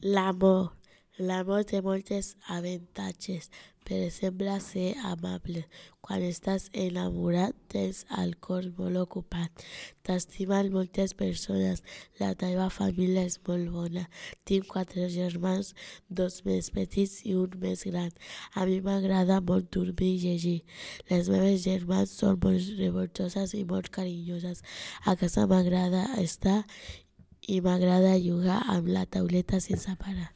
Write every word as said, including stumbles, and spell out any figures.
L'amor. L'amor té moltes avantatges. Per exemple, ser amable. Quan estàs enamorat tens el cor molt ocupat. T'estimen moltes persones. La teva família és molt bona. Tinc quatre germans, dos més petits i un més gran. A mi m'agrada molt dormir i llegir. Les meves germans són molt revoltoses i molt carinyoses. A casa m'agrada estar i m'agrada jugar amb la tauleta sense parar.